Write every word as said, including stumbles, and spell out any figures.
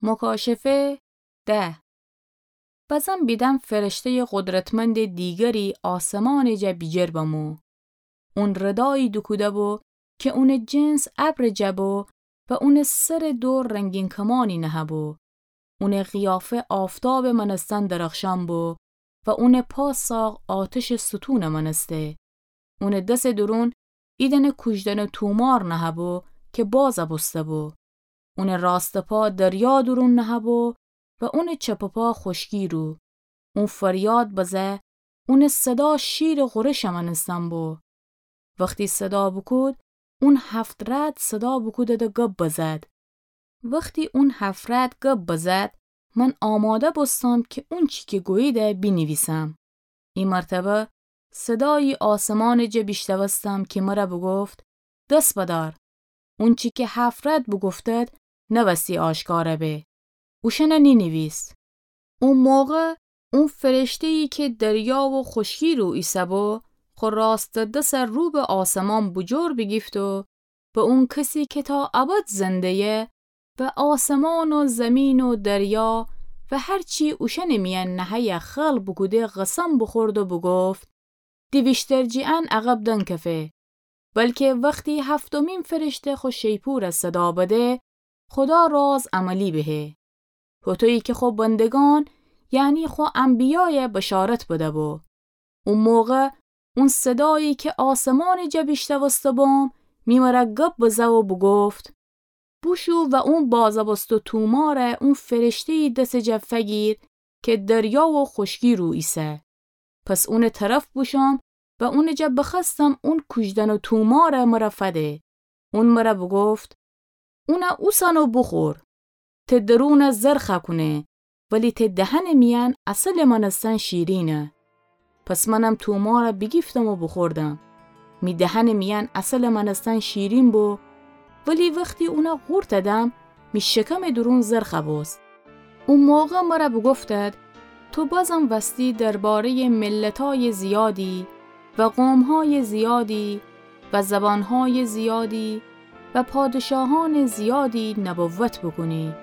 مکاشفه ده. بزم بیدم فرشته‌یٚ قدرتمندٚ دیگری آسمانٚ جا بیجیر بمو. اون ردایی دوکوده بو کی اونٚ جنس ابرٚ جا بو و اونٚ سرٚ دور رنگین کمانی نهه بو. اونٚ قیافه آفتابٚ مأنستن درخشان بو و اونٚ پا ساق آتشٚ ستونٚ مأنسته. اونٚ دسٚ دورون ایدأنه کوجدأنٚ تومار نهه بو کی بازَ بوسته بو. اونٚ راستٚ پا دریا دورون نهه بو و اونٚ چپٚ پا خوشکی رو. اون فریاد بزه، اونٚ صدا شیرٚ غورشٚ مأنستن بو. وختی صدا بوکود، اون هفت رعد صدا بوکودد و گب بزد. وختی اون هفت رعد گب بزد، من آماده بوستم کی اونچی کی گوییده بینیویسم. ای مرتبه صدایی آسمانٚ جا بیشنوستم کی مر بوگفت، دس بدار! اونچی کی هفت رعد بوگفتد، نوستی آشکار به. اوشأن نینیویس. او موقع او فرشته‌یی کی دریا و خوشکی رو ایسه بو، خو راستٚ دس رو به آسمان بوجور بیگیفت و به اون کسی کی تا ابد زنده‌یه و آسمان و زمین و دریا و هر چی اوشأنٚ میأن نهه‌یه خلق بوکوده قسم بوخورد و بوگفت، دی ویشتر جٚه ان عقب دنکفه، بلکی وختی هفتمین فرشته خو شیپورَ صدا بده، خودا راز عملی بهه. هوطویی کی خو بندگان، یعنی خو انبیای بشارت بده بو. او موقع اون صدایی کی آسمانٚ جا بیشنوسته بوم، می مر گب بزه و بوگفت، بوشو و اون بازَ بوسته تومارَ اون فرشته‌یی دسٚ جا فگیر کی دریا و خوشکی رو ایسه. پس اونٚ طرف بوشوم و اونٚ جا بخوأستم اون کوجدأنٚ تومارَ مر فده. اون مر بوگفت، اونَ اوسن و بوخور. ته درونَ زرخه کونه، ولی ته دهنٚ میأن عسلٚ مأنستن شیرینه. پس منم تومارَ بیگیفتم و بوخوردم. می دهنٚ میأن عسلٚ مأنستن شیرین بو، ولی وختی اونَ قورتَ دم، می شکمٚ دورون زرخه بوست. او موقع مر بوگفتد، تو بازم وستی درباره‌یٚ ملتای زیادی و قومهای زیادی و زبانهای زیادی و پادشاهانٚ زیادی نبوت بوکونی.